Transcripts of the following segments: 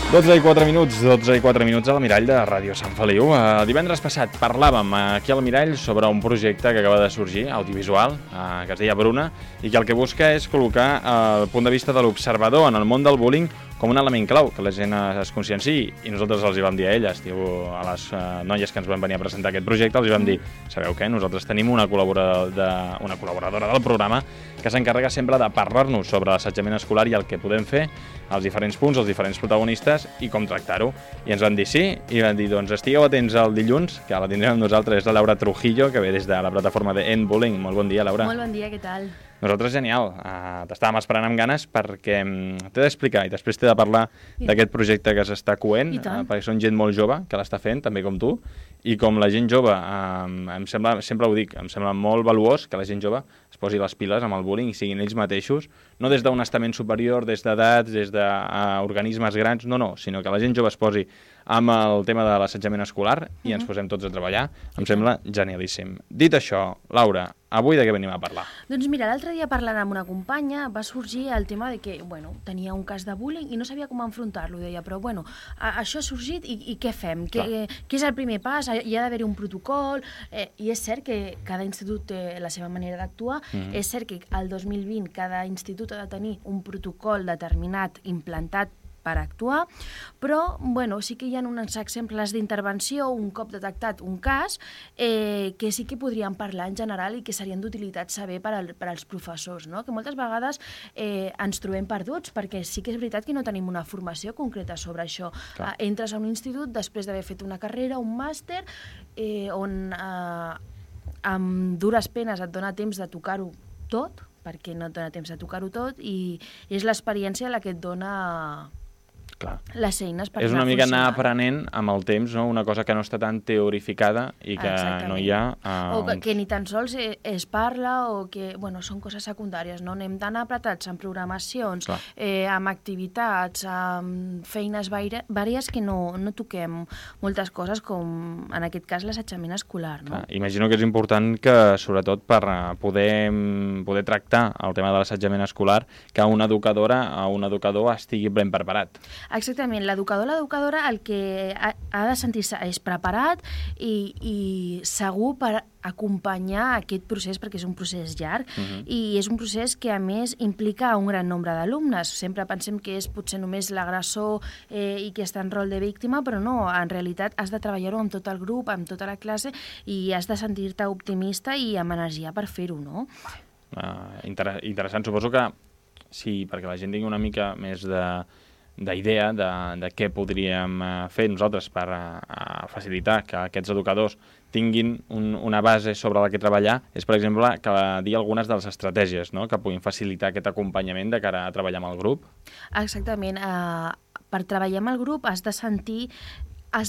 12:04 al Mirall de Ràdio Sant Feliu. Divendres passat parlàvem aquí al Mirall sobre un projecte que acaba de sorgir, audiovisual, que es deia Bruna, i que el que busca és col·locar el punt de vista de l'observador en el món del bullying com un element clau, que la gent es conscienciï, i nosaltres els hi vam dir a elles, a les noies que ens van venir a presentar aquest projecte, els hi vam dir, sabeu què? Nosaltres tenim una col·laboradora del programa que s'encarrega sempre de parlar-nos sobre l'assetjament escolar i el que podem fer, els diferents punts, els diferents protagonistes i com tractar-ho. I ens van dir sí, i van dir, doncs estigueu atents el dilluns, que la tindrem amb nosaltres, és la Laura Trujillo, que ve des de la plataforma de End Bullying. Molt bon dia, Laura. Molt bon dia, què tal? Nosaltres, genial. T'estàvem esperant amb ganes perquè t'he d'explicar i després t'he de parlar d'aquest projecte que s'està coent, perquè són gent molt jove que l'està fent, també com tu, i com la gent jove, em sembla, sempre ho dic, em sembla molt valuós que la gent jove es posi les piles amb el bullying i siguin ells mateixos, no des d'un estament superior, des d'edats, des d'organismes grans, no, sinó que la gent jove es posi amb el tema de l'assetjament escolar i ens posem tots a treballar. Em sembla genialíssim. Dit això, Laura, avui de què venim a parlar? Doncs mira, l'altre dia parlant amb una companya va sorgir el tema de que, tenia un cas de bullying i no sabia com enfrontar-lo. Deia, però això ha sorgit i què fem? Què és el primer pas? Hi ha d'haver un protocol? I és cert que cada institut té la seva manera d'actuar. És cert que el 2020 cada institut ha de tenir un protocol determinat, implantat per actuar, però sí que hi ha uns exemples d'intervenció un cop detectat un cas que sí que podríem parlar en general i que serien d'utilitat saber per als professors, no? Que moltes vegades ens trobem perduts perquè sí que és veritat que no tenim una formació concreta sobre això. Entres a un institut després d'haver fet una carrera, un màster, on amb dures penes et dona temps de tocar-ho tot, perquè no et dona temps de tocar-ho tot, i és l'experiència la que et dona les eines per és una mica anar aprenent amb el temps, no? Una cosa que no està tan teorificada i que no hi ha... O que ni tan sols es parla, o que són coses secundàries, no? Anem tan apretats amb programacions, amb activitats, amb feines vàries que no toquem moltes coses, com en aquest cas l'assetjament escolar, no? Imagino que és important que, sobretot per poder tractar el tema de l'assetjament escolar, que una educadora o un educador estigui ben preparat. Exactament, l'educador o l'educadora el que ha de sentir-se és preparat i segur per acompanyar aquest procés, perquè és un procés llarg i és un procés que a més implica un gran nombre d'alumnes. Sempre pensem que és potser només l'agressor i que està en rol de víctima, però no, en realitat has de treballar-ho amb tot el grup, amb tota la classe, i has de sentir-te optimista i amb energia per fer-ho, no? Interessant, suposo que sí, perquè la gent tingui una mica més d'idea de què podríem fer nosaltres per facilitar que aquests educadors tinguin una base sobre la que treballar, és, per exemple, que dir algunes de les estratègies, no?, que puguin facilitar aquest acompanyament de cara a treballar amb el grup. Exactament. Per treballar amb el grup has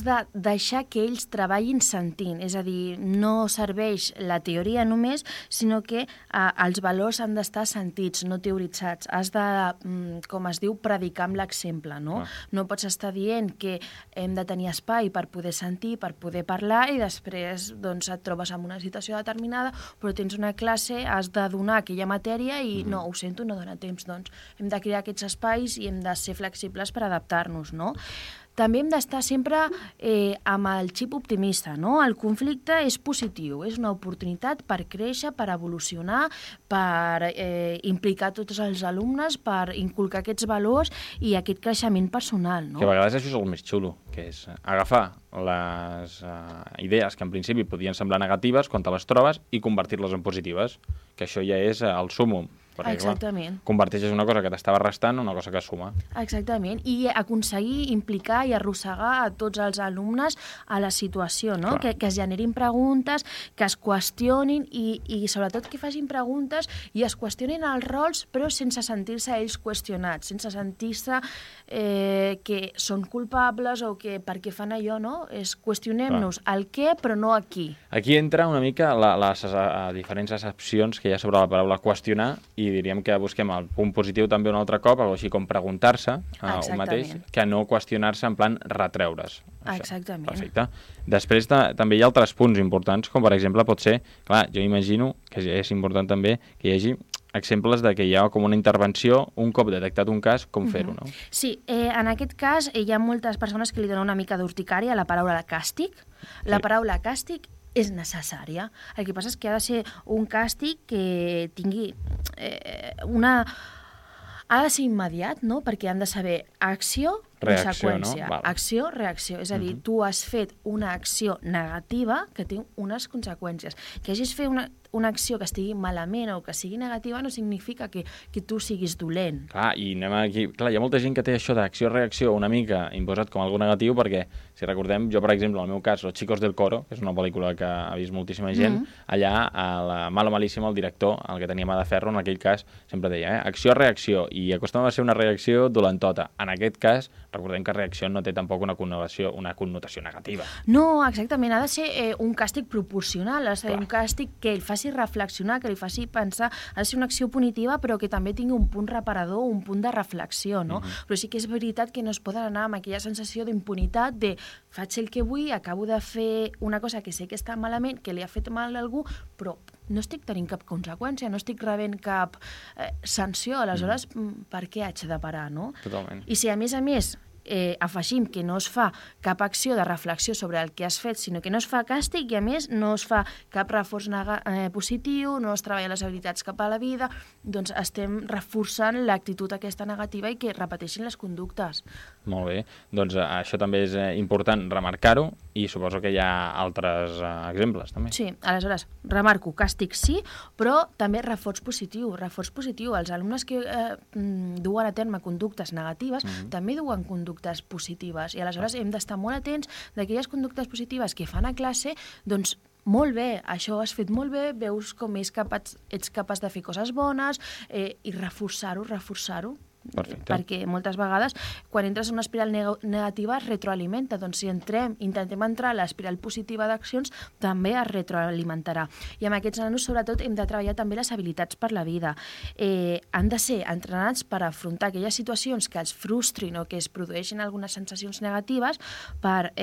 de deixar que ells treballin sentint, és a dir, no serveix la teoria només, sinó que els valors han d'estar sentits, no teoritzats. Has de, com es diu, predicar amb l'exemple, no? No pots estar dient que hem de tenir espai per poder sentir, per poder parlar, i després et trobes en una situació determinada, però tens una classe, has de donar aquella matèria i no, ho sento, no dona temps. Doncs hem de crear aquests espais i hem de ser flexibles per adaptar-nos, no? També hem d'estar sempre amb el xip optimista, no? El conflicte és positiu, és una oportunitat per créixer, per evolucionar, per implicar tots els alumnes, per inculcar aquests valors i aquest creixement personal, no? Que a vegades això és el més xulo, que és agafar les idees que en principi podien semblar negatives quan te les trobes i convertir-les en positives, que això ja és el súmum. Perquè, exactament. Converteixes una cosa que t'estava restant en una cosa que suma. Exactament, i aconseguir implicar i arrossegar a tots els alumnes a la situació, no? Que es generin preguntes, que es qüestionin i sobretot que facin preguntes i es qüestionin els rols, però sense sentir-se ells qüestionats, sense sentir-se que són culpables o que per què fan allò, no? Qüestionem-nos el què, però no aquí. Aquí entra una mica les diferents accepcions que hi ha sobre la paraula qüestionar, i diríem que busquem el punt positiu també un altre cop, així com preguntar-se un mateix, que no qüestionar-se en plan retreure's. Exactament. Perfecte. Després també hi ha altres punts importants, com per exemple pot ser, clar, jo imagino que és important també que hi hagi exemples de que hi ha com una intervenció, un cop detectat un cas, com fer-ho, no? Sí, en aquest cas hi ha moltes persones que li donen una mica d'urticària a la paraula càstig. La paraula càstig és necessària. El que passa és que ha de ser un càstig que tingui una... Ha de ser immediat, no? Perquè han de saber acció, conseqüència. No? Acció, reacció. És a dir, tu has fet una acció negativa que té unes conseqüències. Que hagis fet una acció que estigui malament o que sigui negativa no significa que tu siguis dolent. Clar, i anem aquí... Clar, hi ha molta gent que té això d'acció-reacció una mica imposat com algo negatiu perquè, si recordem, jo, per exemple, en el meu cas, Los chicos del coro, que és una pel·lícula que ha vist moltíssima gent, allà, a la Malo Malíssimo, el director, el que tenia mà de ferro, en aquell cas, sempre deia, acció-reacció, i acostuma a ser una reacció dolentota. En aquest cas, recordem que reacció no té tampoc una connotació negativa. No, exactament, ha de ser un càstig proporcional, ha de ser un càstig que el faci reflexionar, que li faci pensar, ha de ser una acció punitiva però que també tingui un punt reparador, un punt de reflexió, no? Però sí que és veritat que no es poden anar amb aquella sensació d'impunitat de faig el que vull, acabo de fer una cosa que sé que està malament, que li ha fet mal a algú, però no estic tenint cap conseqüència, no estic rebent cap sanció, aleshores per què haig de parar, no? Totalment. I si a més afegim que no es fa cap acció de reflexió sobre el que has fet, sinó que no es fa càstig i a més no es fa cap reforç positiu, no es treballa les habilitats cap a la vida, doncs estem reforçant l'actitud aquesta negativa i que repeteixin les conductes. Molt bé, doncs això també és important remarcar-ho i suposo que hi ha altres exemples també. Sí, aleshores, remarco, càstig sí, però també reforç positiu. Els alumnes que duen a terme conductes negatives també duen conductes positives i aleshores hem d'estar molt atents d'aquelles conductes positives que fan a classe, doncs molt bé, això has fet molt bé, veus com ets capaç de fer coses bones i reforçar-ho. Perfecte. Perquè moltes vegades quan entres en una espiral negativa es retroalimenta, doncs si intentem entrar a l'espiral positiva d'accions també es retroalimentarà. I amb aquests nanos sobretot hem de treballar també les habilitats per la vida. Han de ser entrenats per afrontar aquelles situacions que els frustrin o que es produeixin algunes sensacions negatives per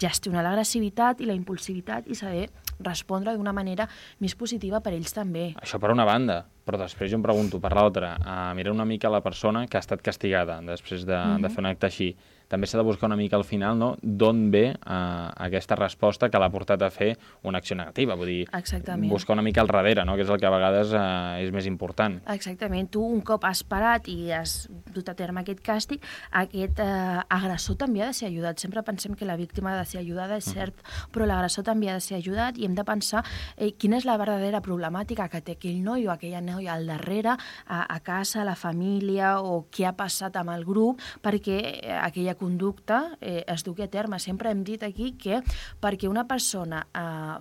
gestionar l'agressivitat i la impulsivitat i saber respondre d'una manera més positiva per ells també. Això per una banda, però després jo em pregunto per l'altra, mirar una mica la persona que ha estat castigada després de fer un acte així. També s'ha de buscar una mica al final, no?, d'on ve aquesta resposta que l'ha portat a fer una acció negativa. Vull dir, buscar una mica al darrere, no?, que és el que a vegades és més important. Exactament. Tu, un cop has parat i has dut a terme aquest càstig, aquest agressor també ha de ser ajudat. Sempre pensem que la víctima ha de ser ajudada, és cert, però l'agressor també ha de ser ajudat i hem de pensar quina és la verdadera problemàtica que té aquell noi o aquella noia al darrere, a casa, a la família, o què ha passat amb el grup, perquè aquella conducta es dugui a terme. Sempre hem dit aquí que perquè una persona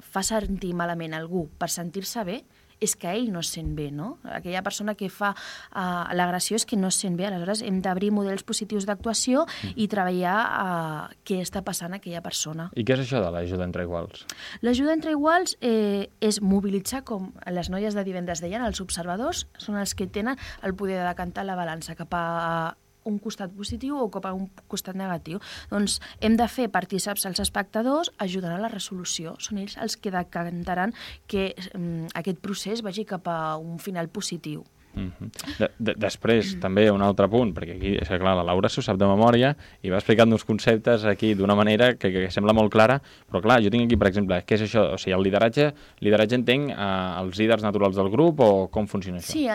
fa sentir malament algú per sentir-se bé, és que ell no es sent bé, no? Aquella persona que fa l'agressió és que no es sent bé. Aleshores, hem d'obrir models positius d'actuació i treballar què està passant a aquella persona. I què és això de l'ajuda entre iguals? L'ajuda entre iguals és mobilitzar, com les noies de divendres deien, els observadors són els que tenen el poder de decantar la balança cap a un costat positiu o cap a un costat negatiu. Doncs hem de fer partícips als espectadors ajudant a la resolució. Són ells els que decantaran que aquest procés vagi cap a un final positiu. Després, també un altre punt, perquè aquí, és que clar, la Laura s'ho sap de memòria i va explicant uns conceptes aquí d'una manera que sembla molt clara, però clar, jo tinc aquí, per exemple, què és això? O sigui, el lideratge entenc els líders naturals del grup o com funciona això? Sí,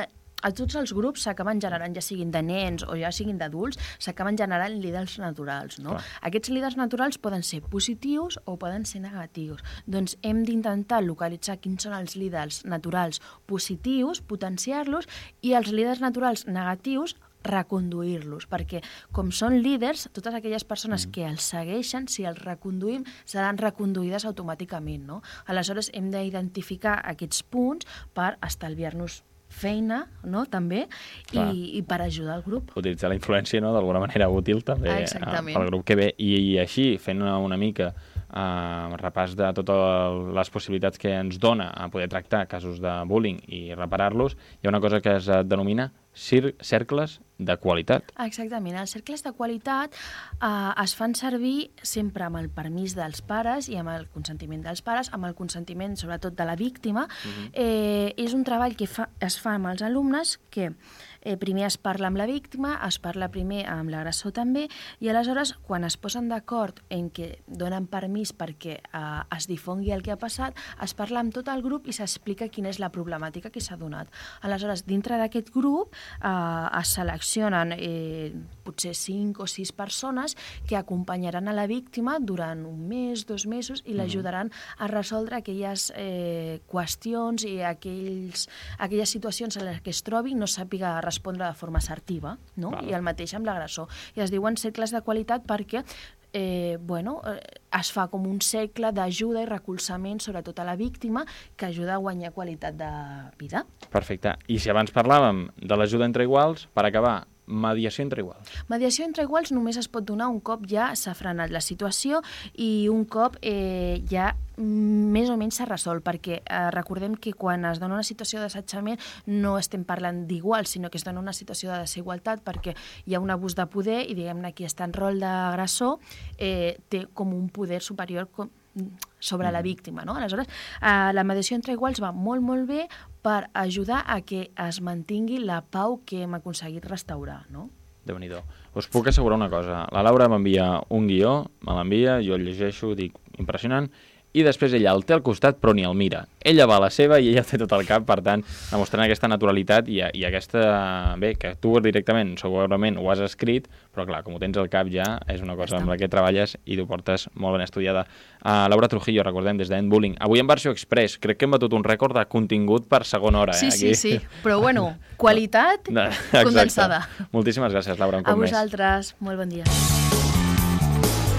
a tots els grups s'acaben generant, ja siguin de nens o ja siguin d'adults, s'acaben generant líders naturals, no? Aquests líders naturals poden ser positius o poden ser negatius. Doncs hem d'intentar localitzar quins són els líders naturals positius, potenciar-los, i els líders naturals negatius reconduir-los, perquè com són líders, totes aquelles persones que els segueixen, si els reconduïm, seran reconduïdes automàticament, no? Aleshores hem d'identificar aquests punts per estalviar-nos feina, no?, també, i per ajudar el grup. Utilitzar la influència, no?, d'alguna manera útil també pel grup que ve. I així, fent una mica repàs de totes les possibilitats que ens dona a poder tractar casos de bullying i reparar-los, hi ha una cosa que es denomina cercles de qualitat. Exactament. Els cercles de qualitat es fan servir sempre amb el permís dels pares i amb el consentiment dels pares, amb el consentiment sobretot de la víctima. És un treball que es fa amb els alumnes que primer es parla amb la víctima, es parla primer amb l'agressor també, i aleshores, quan es posen d'acord en què donen permís perquè es difongui el que ha passat, es parla amb tot el grup i s'explica quina és la problemàtica que s'ha donat. Aleshores, dintre d'aquest grup es seleccionen potser 5 o 6 persones que acompanyaran a la víctima durant un mes, 2 mesos, i l'ajudaran a resoldre aquelles qüestions i aquelles situacions en les que es trobi i no sàpiga respondre de forma assertiva, no? I el mateix amb l'agressor. I es diuen cercles de qualitat perquè es fa com un cercle d'ajuda i recolzament, sobretot a la víctima, que ajuda a guanyar qualitat de vida. Perfecte. I si abans parlàvem de l'ajuda entre iguals, per acabar, mediació entre iguals. Mediació entre iguals només es pot donar un cop ja s'ha frenat la situació i un cop ja més o menys s'ha resolt, perquè recordem que quan es dona una situació d'assetjament no estem parlant d'igual, sinó que es dona una situació de desigualtat perquè hi ha un abús de poder i, diguem-ne, qui està en rol d'agressor té com un poder superior sobre la víctima, no? Aleshores, la mediació entre iguals va molt, molt bé per ajudar a que es mantingui la pau que hem aconseguit restaurar, no? Déu-n'hi-do. Us puc assegurar una cosa. La Laura m'envia un guió, me l'envia, jo el llegeixo, dic, impressionant, i després ella el té al costat però ni el mira. Ella va a la seva i ella té tot el cap, per tant, demostrant aquesta naturalitat i aquesta... Bé, que tu directament, segurament ho has escrit, però clar, com ho tens al cap ja, és una cosa amb la que treballes i t'ho portes molt ben estudiada. Laura Trujillo, recordem, des d'End Bullying. Avui en versió express, crec que hem batut un rècord de contingut per segona hora. Sí, aquí. sí, però bueno, qualitat condensada. Moltíssimes gràcies, Laura, un cop més. A vosaltres, molt bon dia.